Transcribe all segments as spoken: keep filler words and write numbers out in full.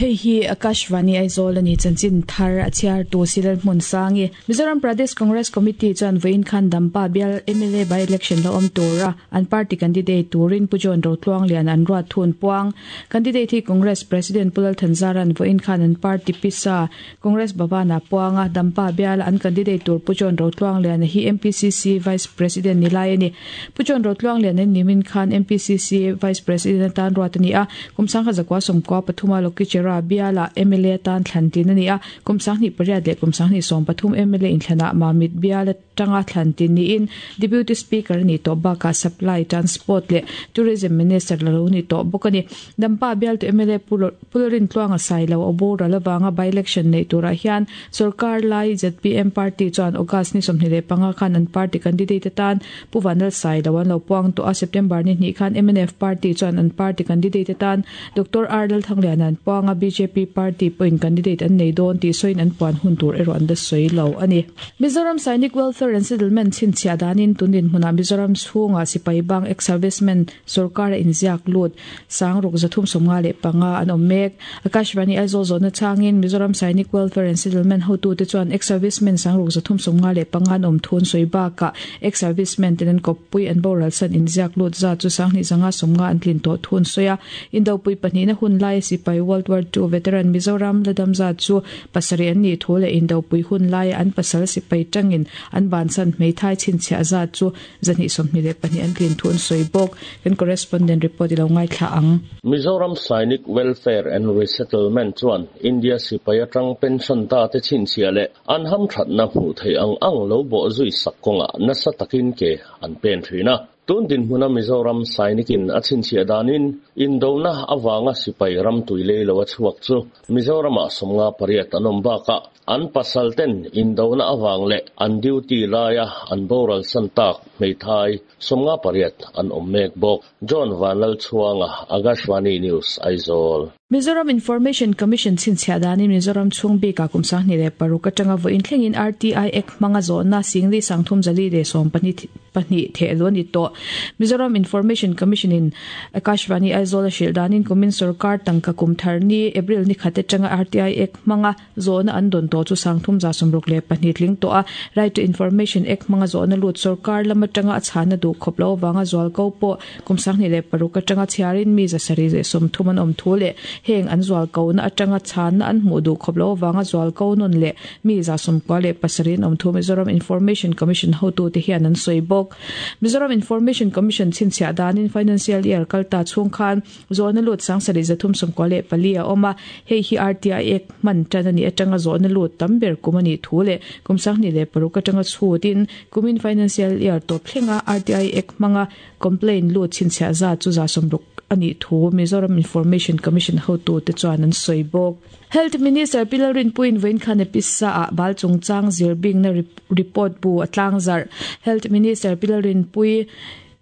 Hei hi Akashvani Aizawl ani chanchin thar a chhiar tu Silal Hmun Sangi. Mizoram Pradesh Congress Committee chuan vawiin khan Dampa bial M L A by election lo awm tura an party candidate turin Pu John Rotluang Lian an ruat thun puang. Candidate hi Congress President Pu Lal Thanzaran vawiin khan an party pisa Congress Bhavana puanga. Dampa bial an candidate tur Pu John Rotluang Lian hi M P C C Vice President ni lai ani. Pu John Rotluang Lian an nimin khan M P C C Vice President tan ruat ani a. Kum sangkhat zakua sawmkua pathuma Lokichera biala M L A tan thlantin ani a. Kum sanghnih pariat leh kum sanghnih sawm pathum M L A inthlana Mamit biala tanga thlantin niin Deputy Speaker ani tawh bakah Supply, Transport leh Tourism Minister lo ni tawh bawk ani. Dampa bial tu M L A Pu Lalrintluanga Sailo a boral awanga by election nei turah hian sarkar lai Z P M party chuan August ni sawmhnih leh panga khan an party candidate atan Pu Vanlal Sailo an lo puang tawh a. September ni hnih khan M N F party chuan an party candidate atan Doctor R Lalthangliana an puang a. B J P party pawhin candidate an nei dawn tih sawiin an puan hun tur erawh an la sawi lo ani. Mizoram Sainik Welfare and Settlement chhinchhiah danin tunin hmunah Mizoram chhunga sipai bang, ex-servicemen, sarkar a inziak lut sang ruk zathum sawmnga leh panga an awm mek. Akashvani Aizawl zawhna changin Mizoram Sainik Welfare and Settlement hotu te chuan ex-servicemen sang ruk zathum sawmnga leh panga an awm thun sawi bakah ex-servicemen ten an kawppui an boral san inziak lut za chu sanghnih zanga sawmnga an tlin tawh thun sawi a. Indopui pahnihna hun lai sipai, World War Two veteran, Mizoram ladam za chu pasarih an ni thu leh indopui hun lai an pasal sipai tangin an ban san hmeithai chhinchhiah za chu zahnih sawmhnih leh pahnih an tlin thu an sawi bawk. Kan correspondent report ilo ngaithla ang. Mizoram Sainik Welfare and Resettlement chuan India sipai atang pension ta te chhinchhiah leh an ham thatna hmuh thei ang ang lo bo zui sak kawnga nasa takin ke an pen thina. Tun din hmuna Mizoram Sainikin a chhinchhiah danin indona awanga sipai ram tuilei lo a chhuak chu Mizorama sawmnga pariat an awm bakah an pasal ten indona awang leh an duty laia an boral san tak hmeithai sawmnga pariat an awm mek bawk. John Vanlal Chhuanga, Akashvani News, Aizawl. Mizoram Information Commission chhinchhiah danin Mizoram chhung bika kum sanghnih leh paruk atanga vawiin thlengin R T I Act hmanga zawhna singli sangthum zali leh sawm pahnih pahnih thehlu ani tawh. Mizoram Information Commission in Akashvani Aizawl a hrilh danin kumin sarkar tangka kum thar ni April ni khat atanga R T I Act hmanga zawhna an dawn tawh chu sangthum za sawmruk leh pahnih tling tawh a. Right to Information Act hmanga zawhna lut, sarkar lam atanga a chhana duh khawp lo awanga zual ko pawh kum sanghnih leh paruk atanga chhiarin mi zasarih leh sawmthum an awm thu leh heng an zual ko na atanga chhan an hmuh duh khawp lo awanga zual ko nun leh mi za sawmkua leh pasarih an awm thu Mizoram Information Commission hotu te hian an sawi bawk. Mizoram Information Commission chhinchhiah danin financial year kalta chhung khan zawhna lut sangsarih zathum sawmkua leh pali a awm a. Hei hi R T I Act hman tan ani atanga zawhna lut tam ber kum ani thu leh kum sanghnih leh paruk atanga chhutin kumin financial year tawp thlenga R T I Act hmanga complaint lut chhinchhiah za chu za sawmruk ani thu Mizoram Information Commission hotu te chuan an sawi bawk. Health Minister Pi Lalrinpuiin vawiin khan episa a bal chungchang zirbing na report bu atlang zar. Health Minister Pi Lalrinpuii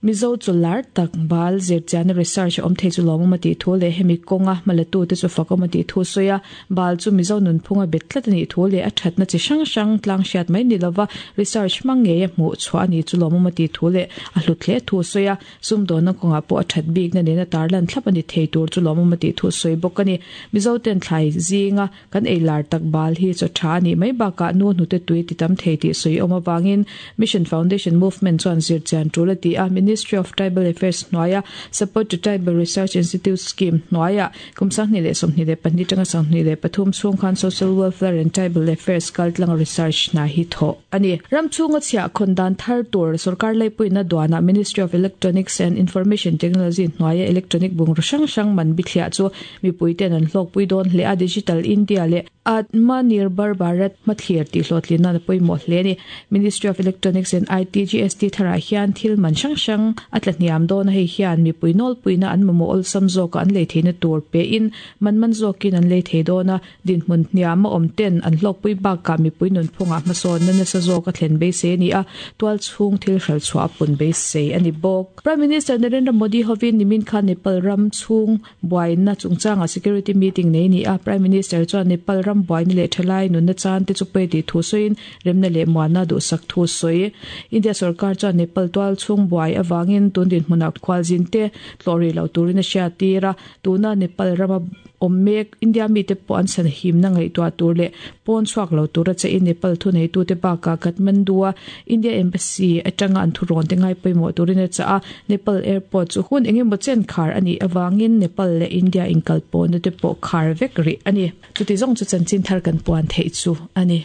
Mizo chular tak bal zirchian research om thei chu lawm ma ti thu le hemi kawnga malatu te chu fakawm ti thu soya. Bal chu Mizo nun phunga bet tlat ani thu le a thatna chi hrang hrang tlang hriat mai ni lova research mang nge hmu chhuah ani chu lawm ma ti thu le a hlut hle thu soya. Sum don na kawnga pawh a that bik na nena tarlan thlap ani thei tur chu lawm ma ti thu soi bawk ani. Mizo ten thlai zinga kan ei lar tak bal hi chu tha ani mai baka nu hnu te tui ti tam thei ti soi awm awangin Mission Foundation Movement chuan zirchian tul ati a. Ministry of Tribal Affairs hnuaia Support to Tribal Research Institute Scheme hnuaia kum sanghnih leh sawmhnih leh pahnih tanga sanghnih leh pathum chhung khan Social Welfare and Tribal Affairs kaltlang research na hi thaw ani. Ram chhunga chhiah khawn dan thar tur sarkar laipuina duana Ministry of Electronics and Information Technology hnuaia electronic bungraw hrang hrang man bithliah chu mipui ten an hlawkpui dawn hle a. Digital India leh Atmanirbhar Bharat hmathlir tih hlawhtlin na pawimawh hle ani. Ministry of Electronics and I T G S T tharah hian thil man hrang hrang a tla hniam dawn a. Hei hian mipui nawlpuina an mamawh awlsam zawk an lei theihna tur pe in man man zawkin an lei thei dawn a. Dinhmun hniam a awm ten an hlawkpui bakah mipui nunphungah hmasawn na nasa zawk a thlen beisei ani a. Tual chhung thil hral chhuah a pun beisei ani bawk. Prime Minister Narendra Modi hovin nimin khan Nepal ram chhung buaina chungchanga security meeting nei ni a. Prime Minister chuan Nepal ram buaina leh thalai nunna chan te chu pe ti thu sawiin remna leh muana duhsak thu sawi. India sarkar chuan Nepal tual chhung buai awangin tun din hmunah khwalzin te tlawri lo turin a hriat tira. Tuna Nepal rama awm mek India mi te pawh an san him na ngaihtuah tur leh pawn chhuak lo tura che in Nepal thu nei tu te baka Kathmandu a India Embassy atanga an thu rawn te ngai pawimawh turin a cha a Nepal airport chu hun engemaw chen khar ani awangin Nepal leh India inkal pawhna te pawh khar vek ri ani chuti zawng chu chanchin thar kan puan thei chu ani.